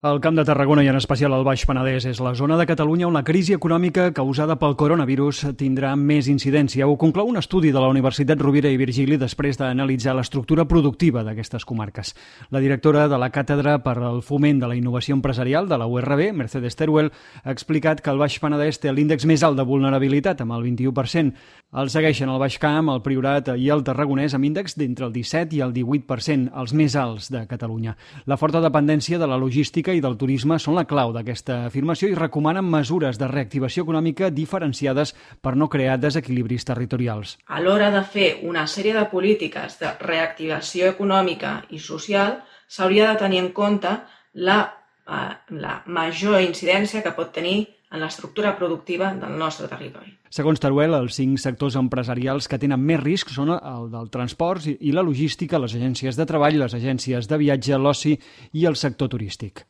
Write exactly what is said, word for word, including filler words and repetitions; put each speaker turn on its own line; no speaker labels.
El Camp de Tarragona i en especial el Baix Penedès és la zona de Catalunya on la crisi econòmica causada pel coronavirus tindrà més incidència. Ho conclou un estudi de la Universitat Rovira i Virgili després d'analitzar l'estructura productiva d'aquestes comarques. La directora de la Càtedra per al Foment de la Innovació Empresarial de la U R B, Mercedes Teruel, ha explicat que el Baix Penedès té l'índex més alt de vulnerabilitat, amb el vint-i-u per cent. El segueixen el Baix Camp, el Priorat i el Tarragonès amb índex d'entre el disset i el divuit per cent, els més alts de Catalunya. La forta dependència de la logística i del turisme són la clau d'aquesta afirmació i recomanen mesures de reactivació econòmica diferenciades per no crear desequilibris territorials.
A l'hora de fer una sèrie de polítiques de reactivació econòmica i social, s'hauria de tenir en compte la, eh, la major incidència que pot tenir en l'estructura productiva del nostre territori.
Segons Teruel, els cinc sectors empresarials que tenen més risc són el del transport i la logística, les agències de treball, les agències de viatge, l'oci i el sector turístic.